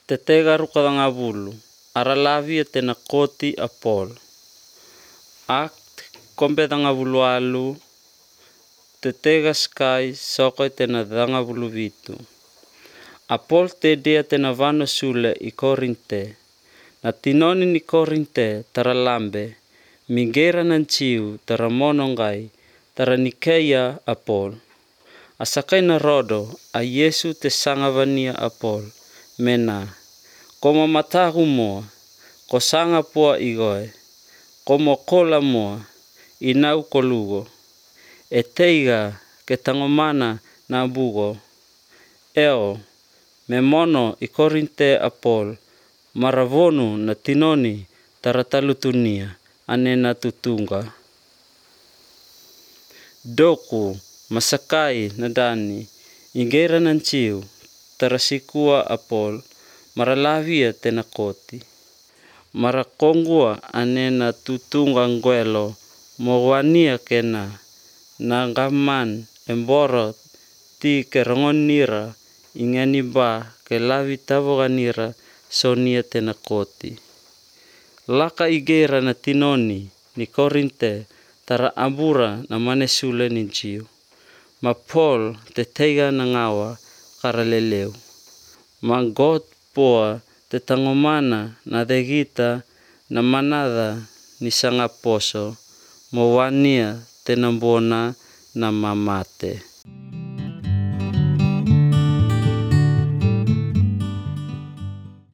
te tega rukadanga bulu, aralavia tena koti a Paul. Act kompetanga bulu alu, te tega sky sokoi tena danga bulu vitu. A Paul te dia tena vano sule I Korinte, na tinoni ni Korinte tara lambe, migera nanciu tara monongai, tara nikeia a Paul. Asakai na rodo, a Yesu te sangavania a Paul, mena, komo matahu moa, ko sanga poa igoe, komo kola moa, inau kolugo, e teiga ke tangomana na bugo, eo, me mono I Korinte a Paul, maravonu na tinoni tara talutunia, ane na tutunga. Doku, masakai na dani, ingera nanciu, tara sikua a Paul, maralavia tena koti. Marakongua ane na tutunga nguelo, mowania kena, na gaman emboro ti ke rongonira, ingani ba ke lavi tavoganira sonia tena koti. Laka igera na tinoni ni Korinte tara ambura na manesule ni jiu. Ma Paul te teiga na ngawa karaleleu. Ma God poa te tangomana na degita na manada ni sanga poso, mo wania te nambona na mamate.